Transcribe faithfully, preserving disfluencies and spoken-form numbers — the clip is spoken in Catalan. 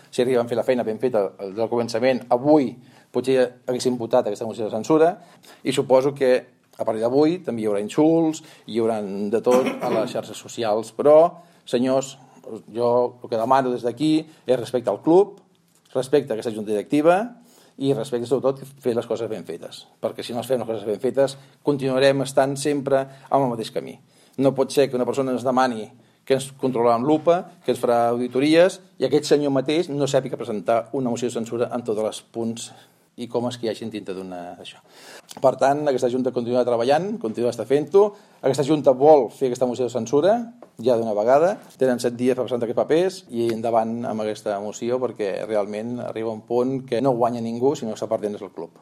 Si arriben a fer la feina ben feta del començament, avui potser haguéssim votat aquesta moció de censura i suposo que a partir d'avui també hi haurà insults, hi haurà de tot a les xarxes socials, però, senyors, jo el que demano des d'aquí és respecte al club, respecte a aquesta junta directiva i respecte sobretot fer les coses ben fetes, perquè si no es fem les coses ben fetes continuarem estant sempre en el mateix camí. No pot ser que una persona ens demani que ens controlarà amb lupa, que ens farà auditories, i aquest senyor mateix no sàpiga presentar una moció de censura en tots els punts i com és que hi hagi dintre d'una d'això. Per tant, aquesta Junta continua treballant, continua estar fent-ho. Aquesta Junta vol fer aquesta moció de censura, ja d'una vegada. Tenen set dies per presentar aquests papers i endavant amb aquesta moció perquè realment arriba un punt que no guanya ningú, sinó que està perdent el club.